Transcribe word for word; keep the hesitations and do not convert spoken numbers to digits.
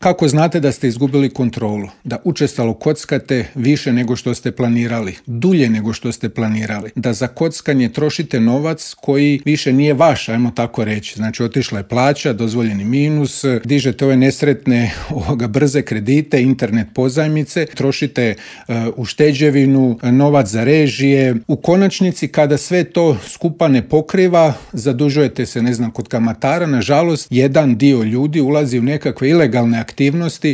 Kako znate da ste izgubili kontrolu? Da učestalo kockate više nego što ste planirali, dulje nego što ste planirali. Da za kockanje trošite novac koji više nije vaš, ajmo tako reći. Znači otišla je plaća, dozvoljeni minus, dižete ove nesretne ovoga, brze kredite, internet pozajmice, trošite uh, u šteđevinu, novac za režije. U konačnici kada sve to skupa ne pokriva, zadužujete se, ne znam, kod kamatara. Nažalost, jedan dio ljudi ulazi u nekakve ilegalne aktivnosti